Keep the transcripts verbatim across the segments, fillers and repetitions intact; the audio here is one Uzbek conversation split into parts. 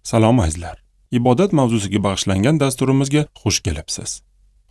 Salom azizlar. Ibodat mavzusiga bag'ishlangan dasturimizga xush kelibsiz.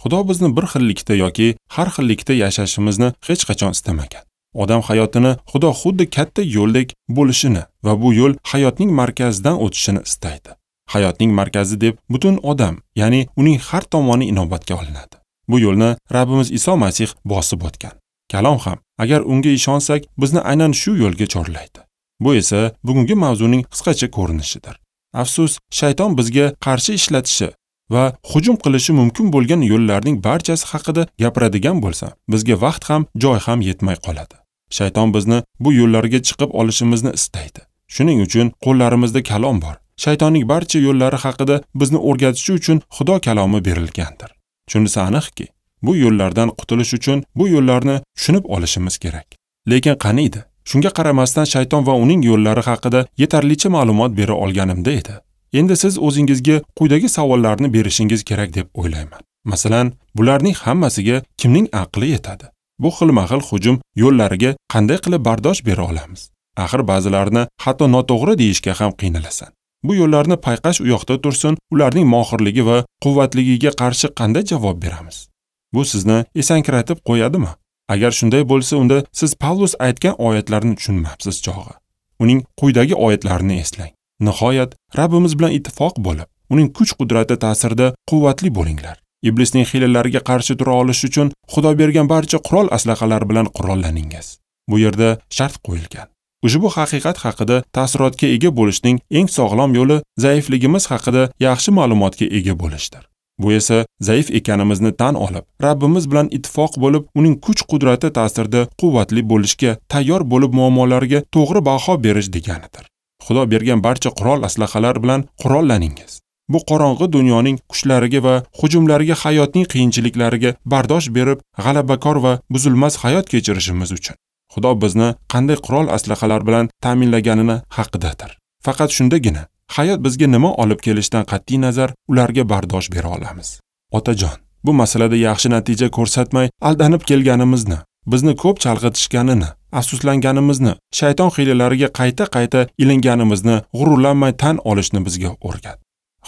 Xudo bizni bir xillikda yoki har xillikda yashashimizni hech qachon istamagan. Odam hayotini Xudo xuddi katta yo'ldek bo'lishini va bu yo'l hayotning markazidan o'tishini istaydi. Hayotning markazi deb butun odam, ya'ni uning har tomoni inobatga olinadi. Bu yo'lni Rabbimiz Iso Masih bosib o'tgan. Kalom ham, agar unga ishonsak, bizni aynan shu yo'lga chorlaydi. Bu esa bugungi mavzuning qisqacha ko'rinishidir. Afsus, shayton bizga qarshi ishlatishi va hujum qilishi mumkin bo'lgan yo'llarning barchasi haqida gapiradigan bo'lsa, bizga vaqt ham, joy ham yetmay qoladi. Shayton bizni bu yo'llarga chiqib olishimizni istaydi. Shuning uchun qo'llarimizda kalom bor. Shaytonning barcha yo'llari haqida bizni o'rgatishi uchun Xudo kalomi berilgandir. Shunisi aniqki, bu yo'llardan qutulish uchun bu yo'llarni tushunib olishimiz kerak. Lekin qaniydi? Shunga qaramasdan shayton va uning yo'llari haqida yetarlicha ma'lumot bera olganimda edi. Endi siz o'zingizga quyidagi savollarni berishingiz kerak deb o'ylayman. Masalan, bularning hammasiga kimning aqli yetadi? Bu xilma-xil hujum yo'llariga qanday qilib bardosh bera olamiz? Axir ba'zilarini hatto noto'g'ri deyishga ham qiynalasan. Bu yo'llarni payqash u yoqda tursin, ularning mohirligi va quvvatligiga qarshi qanday javob beramiz? Bu sizni esankiratib qo'yadimi? Agar shunday bo'lsa, unda siz Pavlus aytgan oyatlarni tushunmabsiz chog'i. Uning quyidagi oyatlarini eslang. Nihoyat Rabbimiz bilan ittifoq bo'lib, uning kuch-qudrati ta'sirida quvvatli bo'linglar. Iblisning hiylalariga qarshi tura olish uchun Xudo bergan barcha qurol aslahalar bilan qurollaningiz. Bu yerda shart qo'yilgan. Ushbu haqiqat haqida ta'sirotga ega bo'lishning eng sog'lom yo'li zaifligimiz haqida yaxshi ma'lumotga ega bo'lishdir. Bu esa zaif ekanimizni tan olib, Rabbimiz bilan ittifoq bo'lib, uning kuch-qudrati ta'sirida quvvatli bo'lishga tayyor bo'lib muammolarga to'g'ri baho berish deganidir. Xudo bergan barcha qurol aslahalar bilan qurollaningiz. Bu qorong'i dunyoning kuchlariga va hujumlariga, hayotning qiyinchiliklariga bardosh berib, g'alabakor va buzilmas hayot kechirishimiz uchun Xudo bizni qanday qurol aslahalar bilan ta'minlaganini haqidadir. Faqat shundagina hayot bizga nima olib kelishidan qat'iy nazar ularga bardosh bera olamiz. Otajon, bu masalada yaxshi natija ko'rsatmay aldanib kelganimizni, bizni ko'p chalg'itishganini, afsuslanganimizni, shayton hiylalariga qayta-qayta ilinganimizni g'ururlanmay tan olishni bizga o'rgat.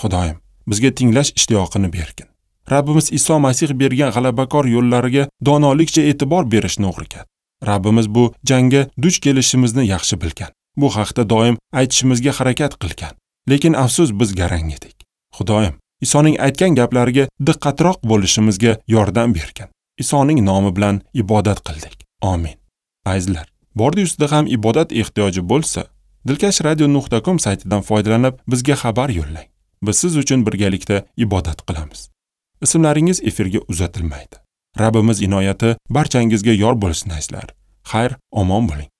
Xudoyim, bizga tinglash ishtiyoqini bergin. Rabbimiz Iso Masih bergan g'alabakor yo'llariga donolikcha e'tibor berishni o'rgat. Rabbimiz bu jangga duch kelishimizni yaxshi bilgan. Bu haqda doim aytishimizga harakat qilgan. Lekin afsus, biz garang edik. Xudoyim, Isoning aytgan gaplariga diqqatroq bo'lishimizga yordam bergin. Isoning nomi bilan ibodat qildik. Amin. Azizlar, bordi ustida ham ibodat ehtiyoji bo'lsa, dilkash radio nuqta com saytidan foydalanib bizga xabar yo'llang. Biz siz uchun birgalikda ibodat qilamiz. Ismlaringiz efirga uzatilmaydi. Rabbimiz inoyati barchangizga yor bo'lsin azizlar. Xayr, omon bo'ling.